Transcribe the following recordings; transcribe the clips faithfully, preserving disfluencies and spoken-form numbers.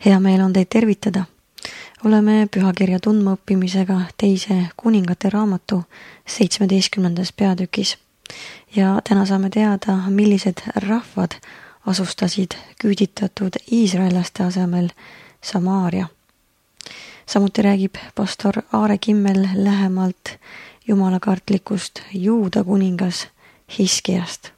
Hea meel on teid tervitada. Oleme pühakirja tundmaõppimisega teise kuningate raamatu seitsmeteistkümnendas peatükis. Ja täna saame teada, millised rahvad asustasid küüditatud iisraellaste asemel Samaaria. Samuti räägib pastor Aare Kimmel lähemalt jumalakartlikust Juuda kuningas Hiskiast.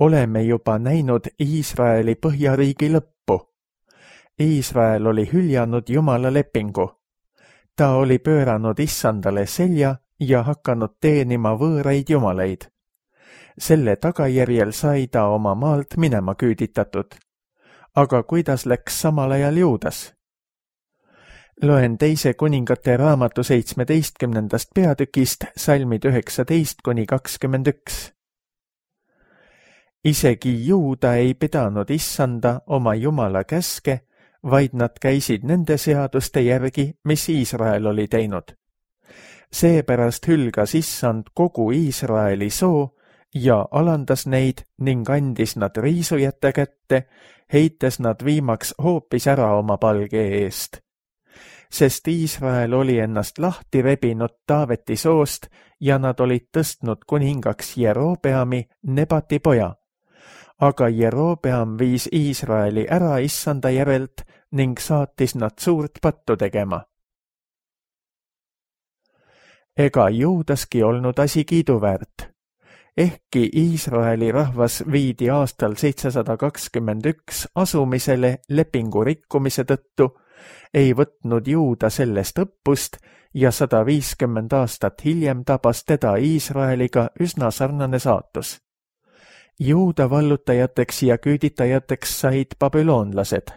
Oleme juba näinud Iisraeli põhjariigi lõppu. Iisrael oli hüljanud Jumala lepingu. Ta oli pööranud issandale selja ja hakanud teenima võõraid jumaleid. Selle tagajärjel sai ta oma maalt minema küüditatud. Aga kuidas läks samal ajal Juudas? Loen teise kuningate raamatu seitsmeteistkümnendast peatükist salmid üheksateist kuni kakskümmend üks. Isegi Juuda ei pidanud issanda oma Jumala käske, vaid nad käisid nende seaduste järgi, mis Iisrael oli teinud. Seepärast hülgas issand kogu Iisraeli soo ja alandas neid ning andis nad riisujate kätte, heites nad viimaks hoopis ära oma palge eest. Sest Iisrael oli ennast lahti rebinud Taaveti soost ja nad olid tõstnud kuningaks Jerobeami, Nebati poja. Aga Jerobeam viis Iisraeli ära issanda järelt ning saatis nad suurt pattu tegema. Ega Juudaski olnud asi kiiduväärt. Ehkki Iisraeli rahvas viidi aastal seitsesada kakskümmend üks asumisele lepingu rikkumise tõttu, ei võtnud Juuda sellest õppust ja sada viiskümmend aastat hiljem tabas teda Iisraeliga üsna sarnane saatus. Juuda vallutajateks ja küüditajateks said babüloonlased.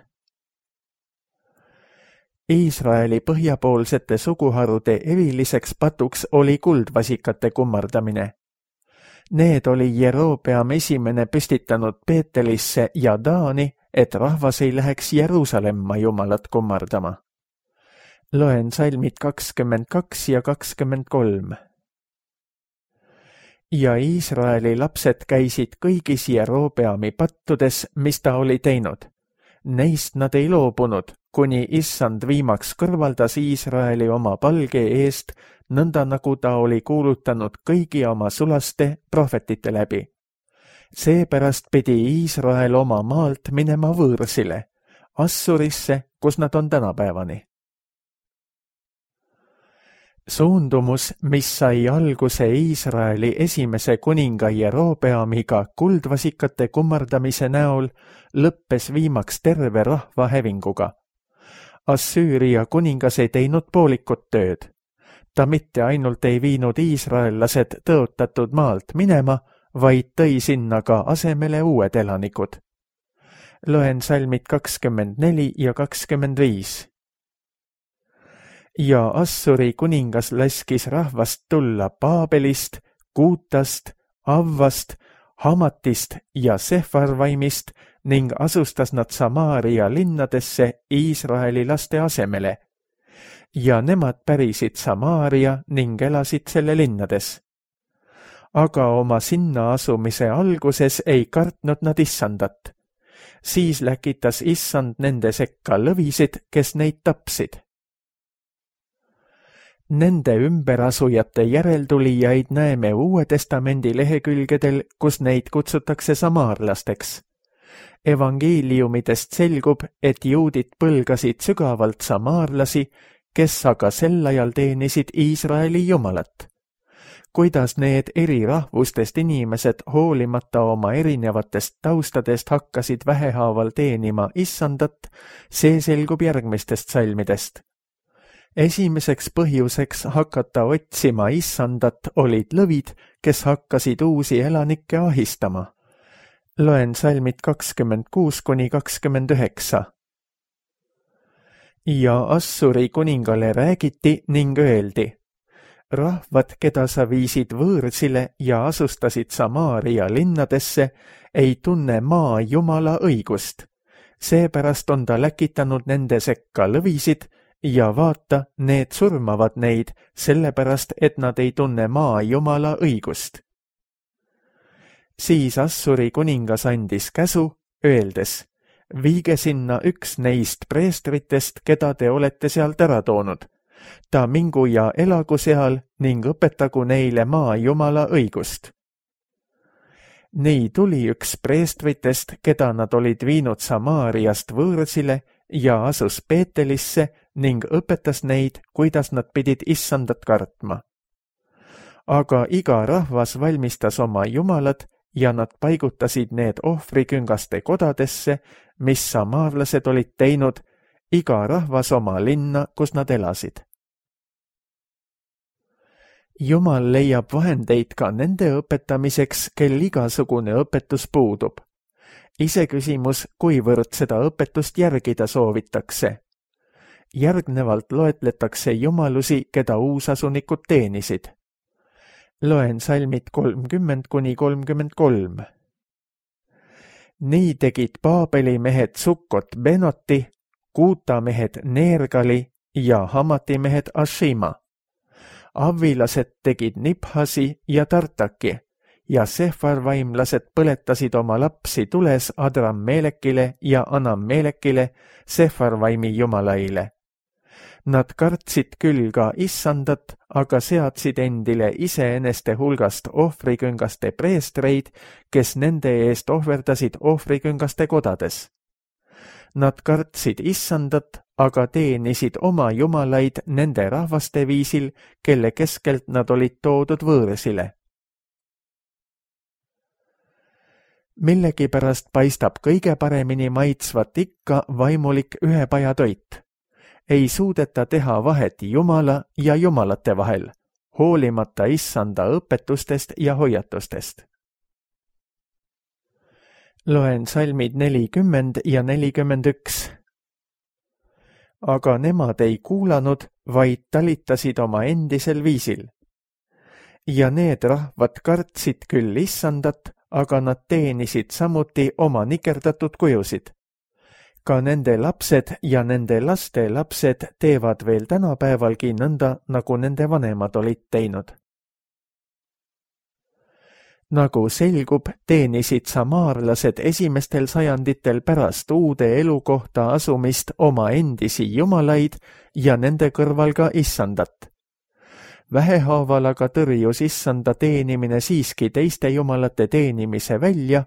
Iisraeli põhjapoolsete suguharude eriliseks patuks oli kuldvasikate kummardamine. Need oli Jerobeam esimene püstitanud Peetelisse ja Daani, et rahvas ei läheks Jeruusalemma Jumalat kummardama. Loen salmid kakskümmend kaks ja kakskümmend kolm. Ja Iisraeli lapsed käisid kõigis Jerobeami pattudes, mis ta oli teinud. Neist nad ei loobunud, kuni issand viimaks kõrvaldas Iisraeli oma palge eest, nõnda nagu ta oli kuulutanud kõigi oma sulaste prohvetite läbi. Seepärast pidi Iisrael oma maalt minema võõrsile, Assurisse, kus nad on tänapäevani. Suundumus, mis sai alguse Iisraeli esimese kuninga Jerobeamiga kuldvasikate kummardamise näol, lõppes viimaks terve rahva hävinguga. Assüüria kuningas ei teinud poolikut tööd. Ta mitte ainult ei viinud iisraellased tõotatud maalt minema, vaid tõi sinna ka asemele uued elanikud. Loen salmid kakskümmend neli ja kakskümmend viis. Ja Assuri kuningas laskis rahvast tulla Paabelist, Kuutast, Avvast, Hamatist ja Sefarvaimist ning asustas nad Samaaria linnadesse Iisraeli laste asemele. Ja nemad pärisid Samaaria ning elasid selle linnades. Aga oma sinna asumise alguses ei kartnud nad issandat. Siis läkitas issand nende sekka lõvisid, kes neid tapsid. Nende ümberasujate järeltulijaid näeme Uue Testamendi lehekülgedel, kus neid kutsutakse samaarlasteks. Evangeeliumidest selgub, et juudid põlgasid sügavalt samaarlasi, kes aga sel ajal teenisid Iisraeli Jumalat. Kuidas need eri rahvustest inimesed hoolimata oma erinevatest taustadest hakkasid vähehaaval teenima issandat, see selgub järgmistest salmidest. Esimeseks põhjuseks hakata otsima issandat olid lõvid, kes hakkasid uusi elanikke ahistama. Loen salmid kakskümmend kuus kuni kakskümmend üheksa. Ja Assuri kuningale räägiti ning öeldi, rahvad, keda sa viisid võõrsile ja asustasid Samaaria linnadesse, ei tunne maa Jumala õigust. Seepärast on ta läkitanud nende sekka lõvisid, ja vaata, need surmavad neid, sellepärast, et nad ei tunne maa Jumala õigust. Siis Assuri kuningas andis käsu, öeldes, viige sinna üks neist preestritest, keda te olete sealt ära toonud. Ta mingu ja elagu seal ning õpetagu neile maa Jumala õigust. Nii tuli üks preestritest, keda nad olid viinud Samaariast võõrsile ja asus Peetelisse ning õpetas neid, kuidas nad pidid issandat kartma. Aga iga rahvas valmistas oma jumalad ja nad paigutasid need ohvriküngaste kodadesse, mis samaarlased olid teinud, iga rahvas oma linna, kus nad elasid. Jumal leiab vahendeid ka nende õpetamiseks, kel igasugune õpetus puudub. Iseküsimus, kuivõrd seda õpetust järgida soovitakse. Järgnevalt loetletakse jumalusi, keda uusasunikud teenisid. Loen salmid kolmkümmend kuni kolmkümmend kolm. Nii tegid Paabeli mehed Sukkot Benoti, Kuuta mehed Neergali ja Hamati mehed Ashima. Avvilased tegid Niphasi ja Tartaki ja Sefarvaimlased põletasid oma lapsi tules Adrammelekile ja Anammelekile, Sefarvaimi jumalaile. Nad kartsid küll ka issandat, aga seadsid endile iseeneste hulgast ohvriküngaste preestreid, kes nende eest ohverdasid ohvriküngaste kodades. Nad kartsid issandat, aga teenisid oma jumalaid nende rahvaste viisil, kelle keskelt nad olid toodud võõrsile. Millegipärast paistab kõige paremini maitsvat ikka vaimulik ühepajatoit. Ei suudeta teha vahet jumala ja jumalate vahel, hoolimata issanda õpetustest ja hoiatustest. Loen salmid nelikümmend ja nelikümmend üks. Aga nemad ei kuulanud, vaid talitasid oma endisel viisil. Ja need rahvad kartsid küll issandat, aga nad teenisid samuti oma nikerdatud kujusid. Ka nende lapsed ja nende laste lapsed teevad veel tänapäevalgi nõnda, nagu nende vanemad olid teinud. Nagu selgub, teenisid samaarlased esimestel sajanditel pärast uude elukohta asumist oma endisi jumalaid ja nende kõrval ka issandat. Vähehaaval aga tõrjus issanda teenimine siiski teiste jumalate teenimise välja,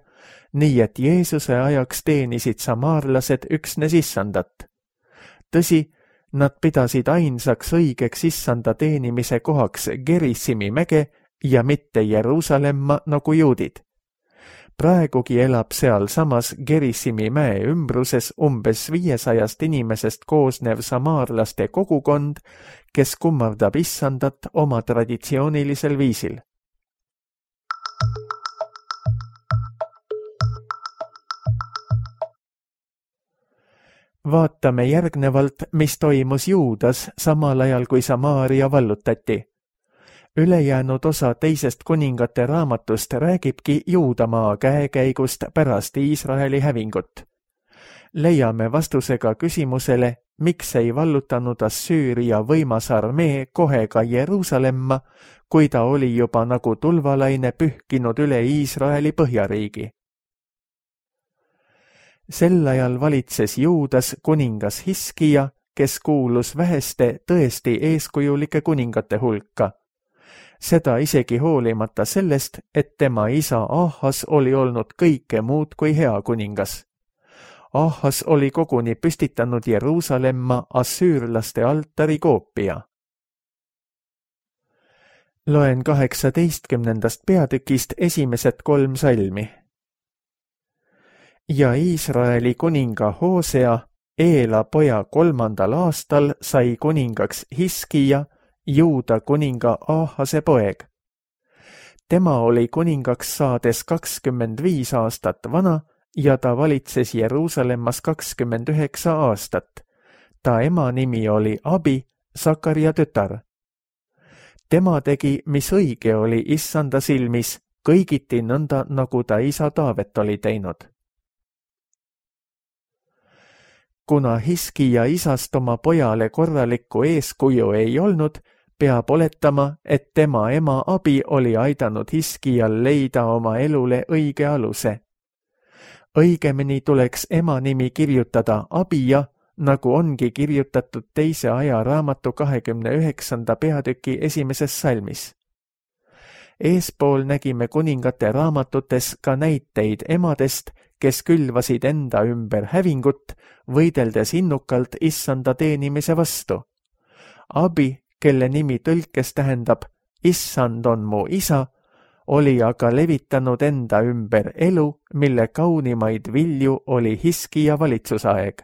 nii et Jeesuse ajaks teenisid samaarlased üksnes issandat. Tõsi, nad pidasid ainsaks õigeks issanda teenimise kohaks Gerissimi mäge ja mitte Jeruusalemma nagu juudid. Praegugi elab seal samas Gerissimi mäe ümbruses umbes viiesajast inimesest koosnev samaarlaste kogukond, kes kummardab issandat oma traditsioonilisel viisil. Vaatame järgnevalt, mis toimus Juudas samal ajal, kui Samaaria vallutati. Ülejäänud osa teisest kuningate raamatust räägibki Juudamaa käekäigust pärast Iisraeli hävingut. Leiame vastusega küsimusele, miks ei vallutanud Assüüria võimas armee kohe ka Jeruusalemma, kui ta oli juba nagu tulvalaine pühkinud üle Iisraeli põhjariigi. Sel ajal valitses Juudas kuningas Hiskija, kes kuulus väheste tõesti eeskujulike kuningate hulka. Seda isegi hoolimata sellest, et tema isa Ahas oli olnud kõike muud kui hea kuningas. Ahas oli koguni püstitanud Jeruusalemma assüürlaste altari koopia. Loen kaheksateistkümnendast peatükist esimesed kolm salmi. Ja Iisraeli kuninga Hoosea, Eela poja kolmandal aastal sai kuningaks Hiskija, Juuda kuninga Ahase poeg. Tema oli kuningaks saades kakskümmend viis aastat vana ja ta valitses Jeruusalemmas kakskümmend üheksa aastat. Ta ema nimi oli Abi, Sakaria tütar. Tema tegi, mis õige oli issanda silmis, kõigiti nõnda, nagu ta isa Taavet oli teinud. Kuna Hiskija isast oma pojale korralikku eeskuju ei olnud, peab oletama, et tema ema abi oli aidanud Hiskijal leida oma elule õige aluse. Õigemini tuleks ema nimi kirjutada Abija, nagu ongi kirjutatud teise aja raamatu kahekümne üheksanda peatüki esimeses salmis. Eespool nägime kuningate raamatutes ka näiteid emadest, kes külvasid enda ümber hävingut, võideldes innukalt issanda teenimise vastu. Abi, kelle nimi tõlkes tähendab issand on mu isa, oli aga levitanud enda ümber elu, mille kaunimaid vilju oli Hiskija valitsusaeg.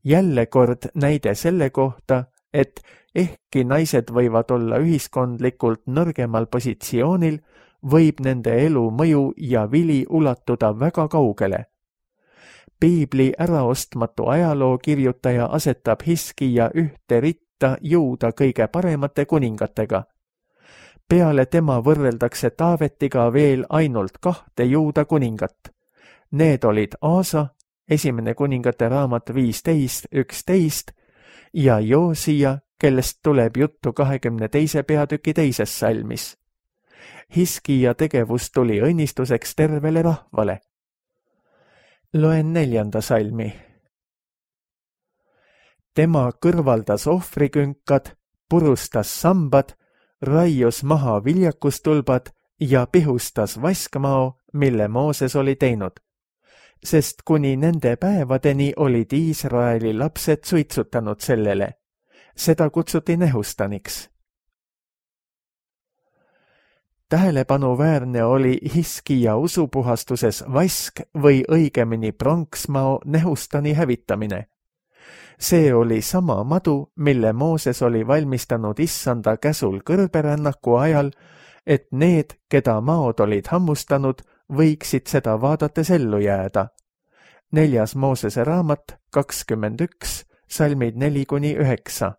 Jälle kord näide selle kohta, et ehkki naised võivad olla ühiskondlikult nõrgemal positsioonil, võib nende elu mõju ja vili ulatuda väga kaugele. Piibli äraostmatu ajaloo kirjutaja asetab Hiskija ühte ritta Juuda kõige paremate kuningatega. Peale tema võrreldakse Taavetiga veel ainult kahte Juuda kuningat. Need olid Aasa, esimene kuningate raamat viisteist üksteist, ja Joosija, kellest tuleb juttu kahekümne teise peatüki teises salmis. Hiskija tegevus tuli õnnistuseks tervele rahvale. Loen neljanda salmi. Tema kõrvaldas ohvrikünkad, purustas sambad, raius maha viljakustulbad ja pihustas vaskmao, mille Mooses oli teinud. Sest kuni nende päevadeni olid Iisraeli lapsed suitsutanud sellele. Seda kutsuti nehustaniks. Tähelepanuväärne oli Hiskija usupuhastuses vask või õigemini pronksmao nehustani hävitamine. See oli sama madu, mille Mooses oli valmistanud issanda käsul kõrberännaku ajal, et need, keda maod olid hammustanud, võiksid seda vaadates ellu jääda. Neljas Moosese raamat kakskümmend üks, salmid neli kuni üheksa.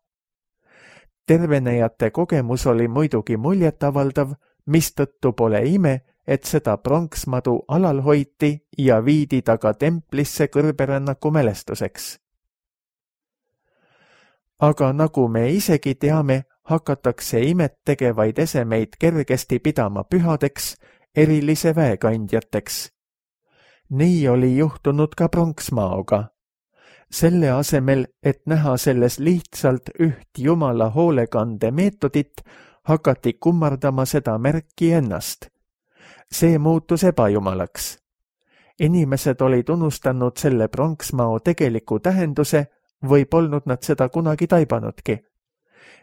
Tervenejate kogemus oli muidugi muljetavaldav, mistõttu pole ime, et seda pronksmadu alal hoiti ja viidi taga templisse kõrberännaku mälestuseks. Aga nagu me isegi teame, hakatakse imet tegevaid esemeid kergesti pidama pühadeks, erilise väekandjateks. Nii oli juhtunud ka pronksmaoga. Selle asemel, et näha selles lihtsalt üht Jumala hoolekande meetodit, hakati kummardama seda märki ennast. See muutus ebajumalaks. Inimesed olid unustanud selle pronksmao tegeliku tähenduse või polnud nad seda kunagi taibanudki.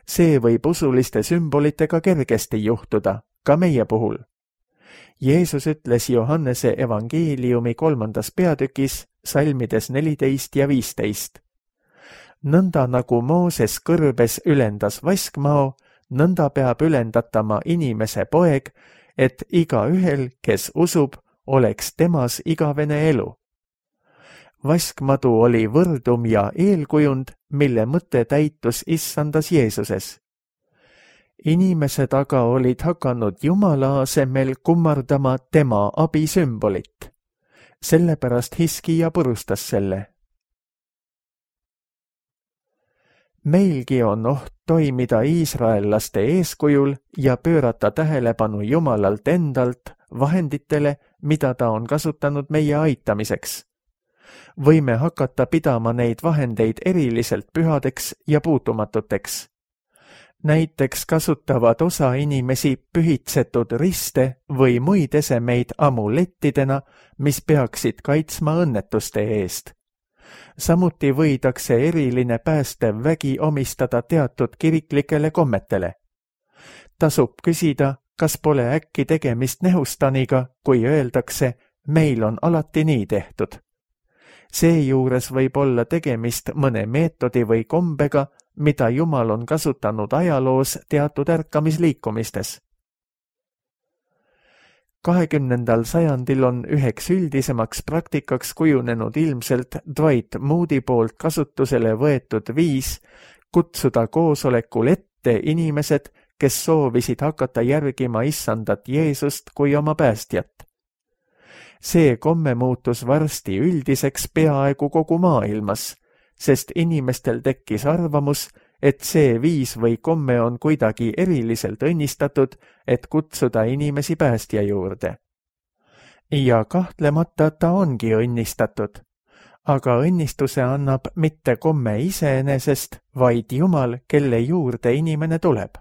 See võib usuliste sümbolitega kergesti juhtuda, ka meie puhul. Jeesus ütles Johannese evangeeliumi kolmandas peatükis, salmides neliteist ja viisteist. Nõnda nagu Mooses kõrbes ülendas vaskmao, nõnda peab ülendatama inimese poeg, et igaühel, kes usub, oleks temas igavene elu. Vaskmadu oli võrdum ja eelkujund, mille mõte täitus issandas Jeesuses. Inimesed aga olid hakanud Jumala asemel kummardama tema abisümbolit. Sellepärast Hiskija purustas selle. Meilgi on oht toimida iisraellaste eeskujul ja pöörata tähelepanu Jumalalt endalt vahenditele, mida ta on kasutanud meie aitamiseks. Võime hakata pidama neid vahendeid eriliselt pühadeks ja puutumatuteks. Näiteks kasutavad osa inimesi pühitsetud riste või muid esemeid amulettidena, mis peaksid kaitsma õnnetuste eest. Samuti võidakse eriline päästev vägi omistada teatud kiriklikele kommetele. Tasub küsida, kas pole äkki tegemist nehustaniga, kui öeldakse, meil on alati nii tehtud. Seejuures võib olla tegemist mõne meetodi või kombega, mida Jumal on kasutanud ajaloos teatud ärkamisliikumistes. kahekümnendal sajandil on üheks üldisemaks praktikaks kujunenud ilmselt Dwight Moody poolt kasutusele võetud viis kutsuda koosolekul ette inimesed, kes soovisid hakata järgima issandat Jeesust kui oma päästjat. See komme muutus varsti üldiseks peaaegu kogu maailmas, sest inimestel tekkis arvamus, et see viis või komme on kuidagi eriliselt õnnistatud, et kutsuda inimesi päästja juurde. Ja kahtlemata ta ongi õnnistatud, aga õnnistuse annab mitte komme iseenesest, vaid Jumal, kelle juurde inimene tuleb.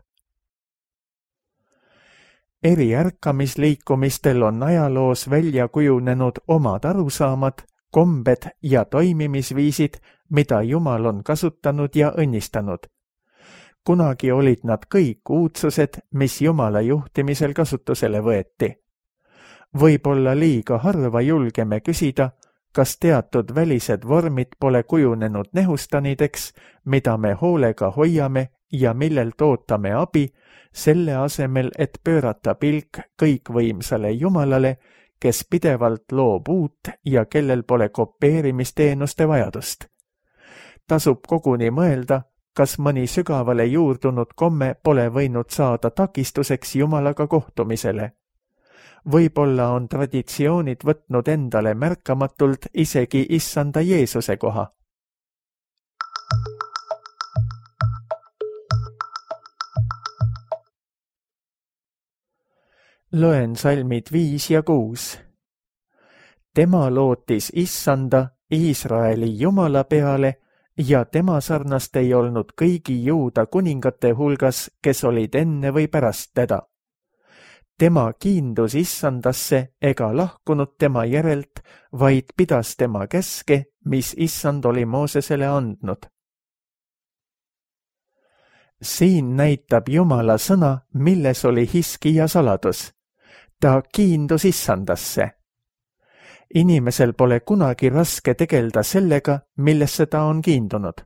Eri ärkamisliikumistel on ajaloos välja kujunenud omad arusaamad, kombed ja toimimisviisid, mida Jumal on kasutanud ja õnnistanud. Kunagi olid nad kõik uudsused, mis Jumala juhtimisel kasutusele võeti. Võib-olla liiga harva julgeme küsida, kas teatud välised vormid pole kujunenud nehustanideks, mida me hoolega hoiame ja millelt ootame abi, selle asemel, et pöörata pilk kõikvõimsale Jumalale, kes pidevalt loob uut ja kellel pole kopeerimisteenuste vajadust. Tasub koguni mõelda, kas mõni sügavale juurdunud komme pole võinud saada takistuseks Jumalaga kohtumisele. Võib-olla on traditsioonid võtnud endale märkamatult isegi issanda Jeesuse koha. Loen salmid viis ja kuus. Tema lootis issanda Iisraeli Jumala peale ja tema sarnast ei olnud kõigi juuda kuningate hulgas, kes olid enne või pärast teda. Tema kiindus issandasse ega lahkunud tema järelt, vaid pidas tema käske, mis issand oli Moosesele andnud. Siin näitab Jumala sõna, milles oli Hiskija saladus. Ta kiindus issandasse. Inimesel pole kunagi raske tegelda sellega, millesse ta on kiindunud.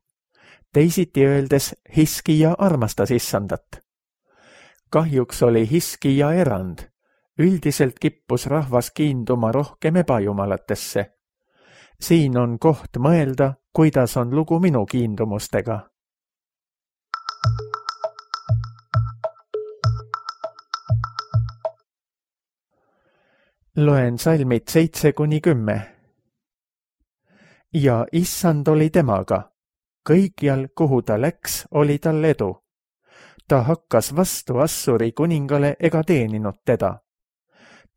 Teisiti öeldes, Hiskija armastas issandat. Kahjuks oli Hiskija erand. Üldiselt kippus rahvas kiinduma rohkem ebajumalatesse. Siin on koht mõelda, kuidas on lugu minu kiindumustega. Loen salmid seitse kuni kümme. Ja issand oli temaga. Kõikjal, kuhu ta läks, oli tal edu. Ta hakkas vastu Assuri kuningale ega teeninud teda.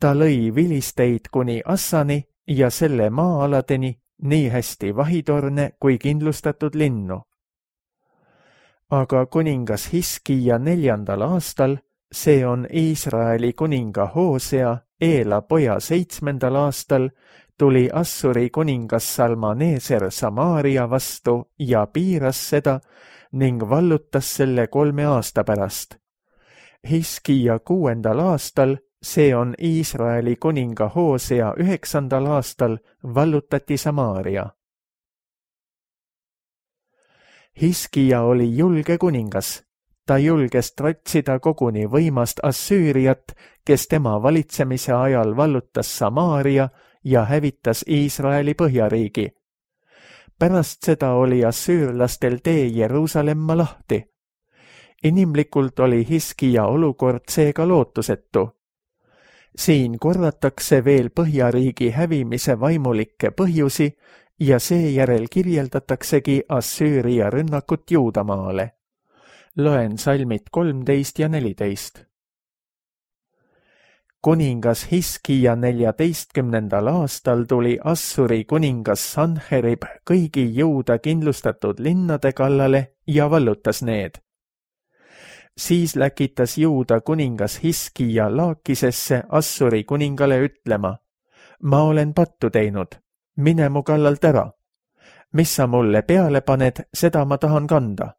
Ta lõi vilisteid kuni Assani ja selle maa-aladeni, nii hästi vahitorne kui kindlustatud linnu. Aga kuningas Hiskija neljandal aastal, see on Iisraeli kuninga Hoosea, Eela poja seitsmendal aastal, tuli Assuri kuningas Salmaneser Samaaria vastu ja piiras seda ning vallutas selle kolme aasta pärast. Hiskija kuuendal aastal, see on Iisraeli kuninga Hoosea üheksandal aastal, vallutati Samaaria. Hiskija oli julge kuningas. Ta julges trotsida koguni võimast Assüüriat, kes tema valitsemise ajal vallutas Samaaria ja hävitas Iisraeli põhjariigi. Pärast seda oli assüürlastel tee Jeruusalemma lahti. Inimlikult oli Hiskija olukord seega lootusetu. Siin korratakse veel põhjariigi hävimise vaimulikke põhjusi ja seejärel kirjeldataksegi Assüüria rünnakut Juudamaale. Loen salmid kolmteist ja neliteist. Kuningas Hiskija neljateistkümnendal aastal tuli Assuri kuningas Sanherib kõigi Juuda kindlustatud linnade kallale ja vallutas need. Siis läkitas Juuda kuningas Hiskija Laakisesse Assuri kuningale ütlema, ma olen pattu teinud, mine mu kallalt ära. Mis sa mulle peale paned, seda ma tahan kanda.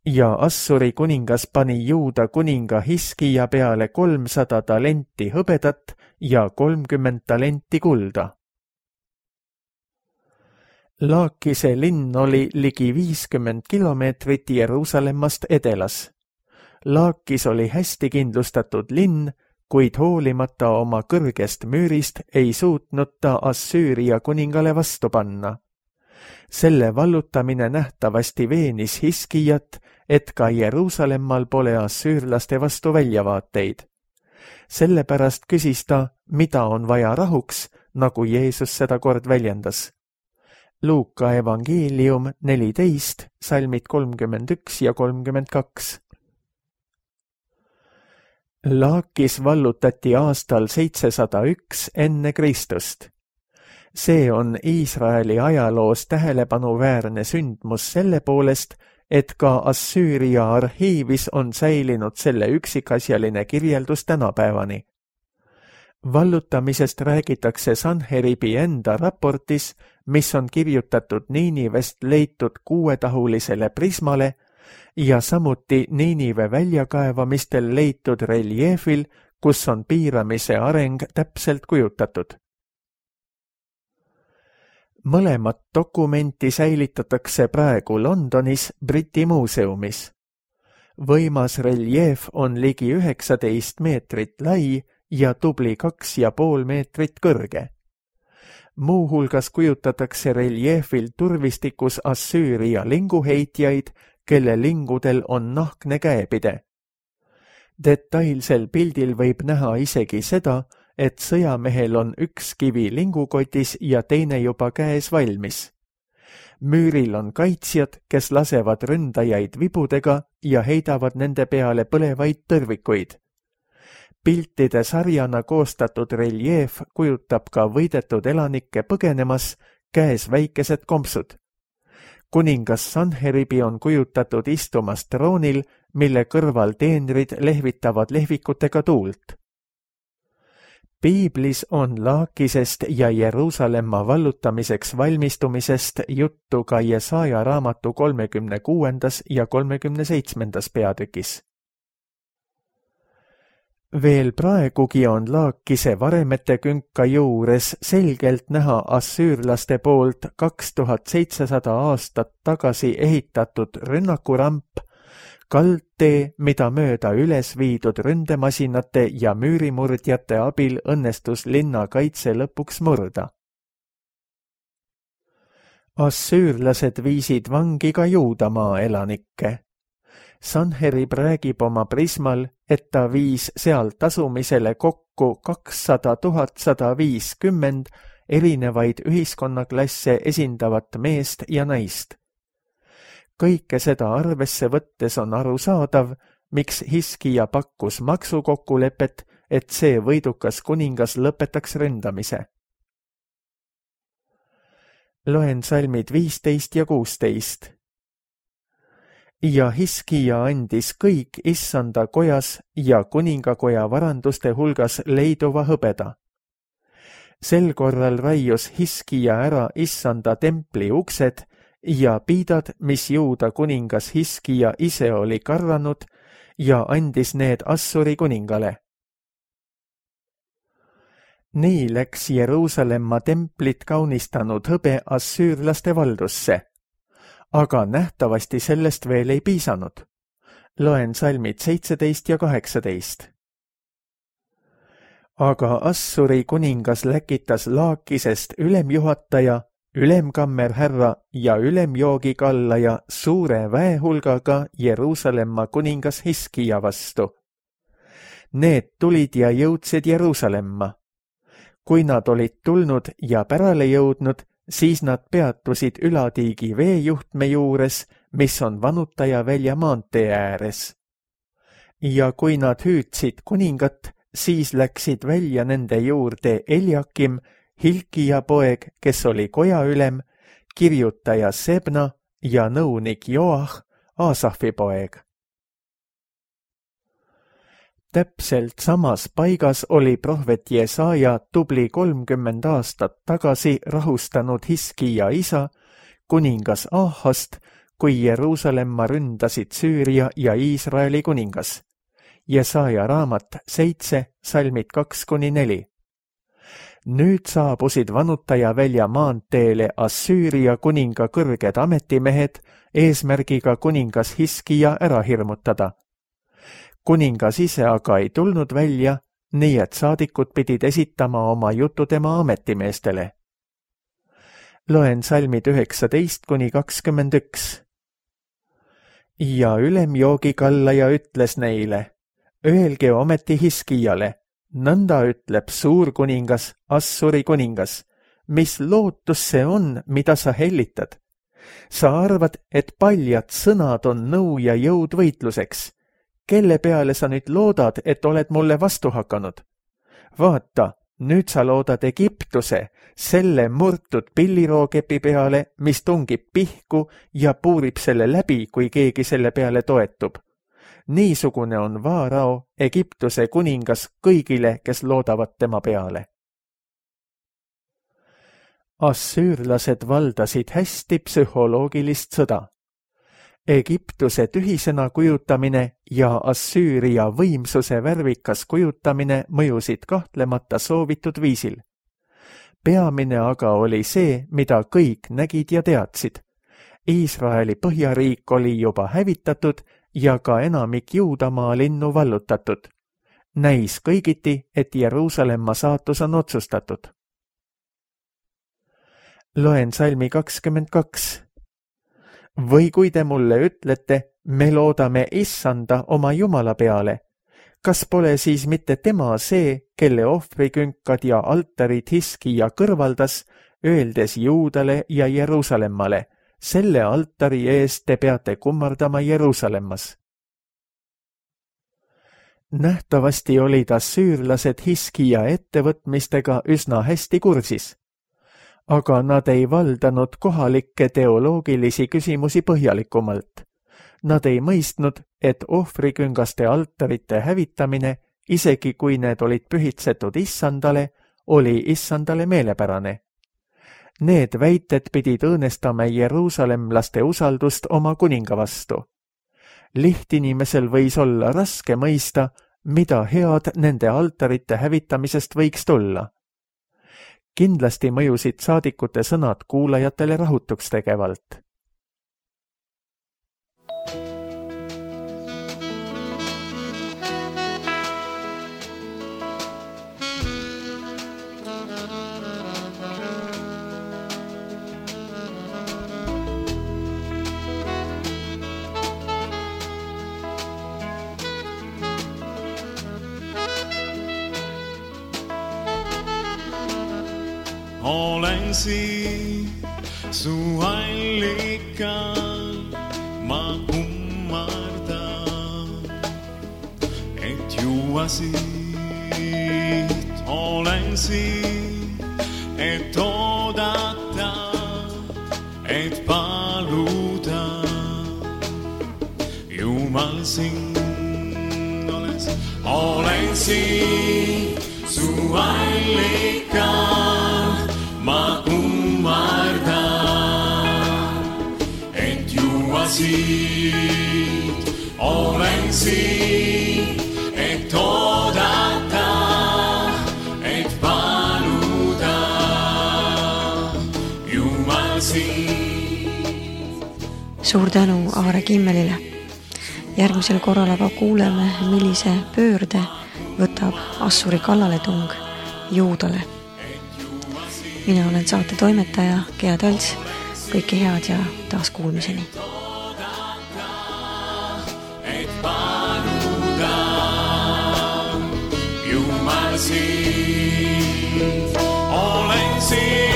Ja Assuri kuningas pani Juuda kuninga Hiskija peale kolmsada talenti hõbedat ja kolmkümmend talenti kulda. Laakise linn oli ligi viiskümmend kilomeetrit Jeruusalemmast edelas. Laakis oli hästi kindlustatud linn, kuid hoolimata oma kõrgest müürist ei suutnud ta Assüüria kuningale vastu panna. Selle vallutamine nähtavasti veenis Hiskijat, et ka Jeruusalemmal pole assüürlaste vastu väljavaateid. Sellepärast küsis ta, mida on vaja rahuks, nagu Jeesus seda kord väljendas. Luuka evangeelium neliteist, salmid kolmkümmend üks ja kolmkümmend kaks. Laakis vallutati aastal seitsesada üks enne Kristust. See on Iisraeli ajaloos tähelepanuväärne sündmus selle poolest, et ka Assüüria arhiivis on säilinud selle üksikasjaline kirjeldus tänapäevani. Vallutamisest räägitakse Sanheribi enda raportis, mis on kirjutatud Niinivest leitud kuuetahulisele prismale ja samuti Niinive väljakaevamistel leitud reljeefil, kus on piiramise areng täpselt kujutatud. Mõlemat dokumenti säilitatakse praegu Londonis Briti muuseumis. Võimas reljeef on ligi üheksateist meetrit lai ja tubli kaks ja pool meetrit kõrge. Muuhulgas kujutatakse reljeefil turvistikus Assüüria linguheitjaid, kelle lingudel on nahkne käepide. Detailsel pildil võib näha isegi seda, et sõjamehel on üks kivi lingukotis ja teine juba käes valmis. Müüril on kaitsjad, kes lasevad ründajaid vibudega ja heidavad nende peale põlevaid tõrvikuid. Piltide sarjana koostatud reljeef kujutab ka võidetud elanikke põgenemas, käes väikesed kompsud. Kuningas Sanheribi on kujutatud istumas troonil, mille kõrval teenrid lehvitavad lehvikutega tuult. Piiblis on Laakisest ja Jeruusalemma vallutamiseks valmistumisest juttu ka Jesaja raamatu kolmekümne kuuendas ja kolmekümne seitsmendas peatükis. Veel praegugi on Laakise varemete künka juures selgelt näha assüürlaste poolt kaks tuhat seitsesada aastat tagasi ehitatud rünnakuramp, kaldtee, mida mööda üles viidud ründemasinate ja müürimurdjate abil õnnestus linna kaitse lõpuks murda. Assüürlased viisid vangi ka Juudamaa elanikke. Sanherib räägib oma prismal, et ta viis sealt asumisele kokku kakssada tuhat sada viiskümmend erinevaid ühiskonnaklasse esindavat meest ja naist. Kõike seda arvesse võttes on arusaadav, miks Hiskija pakkus maksukokkulepet, et see võidukas kuningas lõpetaks ründamise. Loen salmid viisteist ja kuusteist. Ja Hiskija andis kõik issanda kojas ja kuningakoja varanduste hulgas leiduva hõbeda. Sel korral raius Hiskija ära issanda templi uksed ja piidad, mis Juuda kuningas Hiskija ise oli karvanud ja andis need Assuri kuningale. Nii läks Jeruusalemma templit kaunistanud hõbe assüürlaste valdusse, aga nähtavasti sellest veel ei piisanud. Loen salmid seitseteist ja kaheksateist. Aga Assuri kuningas läkitas Laakisest ülemjuhataja, ülemkammerhärra ja ülemjoogikallaja suure väehulgaga Jeruusalemma kuningas Hiskija vastu. Need tulid ja jõudsid Jeruusalemma. Kui nad olid tulnud ja pärale jõudnud, siis nad peatusid Ülatiigi veejuhtme juures, mis on Vanutaja välja maantee ääres. Ja kui nad hüüdsid kuningat, siis läksid välja nende juurde Eljakim, Hilkija poeg, kes oli kojaülem, kirjutaja Sebna ja nõunik Joah, Aasafi poeg. Täpselt samas paigas oli prohvet Jesaja tubli kolmkümmend aastat tagasi rahustanud Hiskija isa, kuningas Ahast, kui Jeruusalemma ründasid Süüria ja Iisraeli kuningas. Jesaja raamat seitse, salmid kaks kuni neli. Nüüd saabusid Vanutaja välja maanteele Assüüria kuninga kõrged ametimehed eesmärgiga kuningas Hiskija ära hirmutada. Kuningas ise aga ei tulnud välja, nii et saadikud pidid esitama oma jutu tema ametimeestele. Loen salmid üheksateist kuni kakskümmend üks. Ja ülemjoogikallaja ütles neile, öelge ometi Hiskijale, nõnda ütleb suur kuningas, Assuri kuningas, mis lootus see on, mida sa hellitad? Sa arvad, et paljad sõnad on nõu ja jõud võitluseks. Kelle peale sa nüüd loodad, et oled mulle vastu hakanud? Vaata, nüüd sa loodad Egiptuse, selle murtud pillirookepi peale, mis tungib pihku ja puurib selle läbi, kui keegi selle peale toetub. Niisugune on Vaarao, Egiptuse kuningas kõigile, kes loodavad tema peale. Assüürlased valdasid hästi psühholoogilist sõda. Egiptuse tühisena kujutamine ja Assüüria võimsuse värvikas kujutamine mõjusid kahtlemata soovitud viisil. Peamine aga oli see, mida kõik nägid ja teadsid. Iisraeli põhjariik oli juba hävitatud ja ka enamik Juudamaa linnu vallutatud. Näis kõigiti, et Jeruusalemma saatus on otsustatud. Loen salmi kakskümmend kaks. Või kui te mulle ütlete, me loodame issanda oma Jumala peale, kas pole siis mitte tema see, kelle ohvrikünkad ja altarid Hiskija kõrvaldas, öeldes Juudale ja Jeruusalemmale, selle altari eest te peate kummardama Jeruusalemmas. Nähtavasti olid assüürlased Hiskija ettevõtmistega üsna hästi kursis. Aga nad ei valdanud kohalikke teoloogilisi küsimusi põhjalikumalt. Nad ei mõistnud, et ohvriküngaste altarite hävitamine, isegi kui need olid pühitsetud issandale, oli issandale meelepärane. Need väited pidid õõnestama jeruusalemlaste usaldust oma kuninga vastu. Lihtinimesel võis olla raske mõista, mida head nende altarite hävitamisest võiks tulla. Kindlasti mõjusid saadikute sõnad kuulajatele rahutuks tegevalt. Olen siin su allikal, ma kummardan, et juua siit. Olen siin, et oodata, et paluda. Jumal sind oles. Olen siin su allikal, ma kummardan, et juua siit. Olen siin, et oodata, et paluda. Jumal sind. Suur tänu Aare Kimmelile. Järgmisel korral aga kuuleme, millise pöörde võtab Assuri kallaletung Juudale. Mina olen saate toimetaja Gea Talts. Kõike head ja taas kuulmiseni. Et paluda, Jumal sind, olen siin.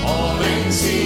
Olen siin.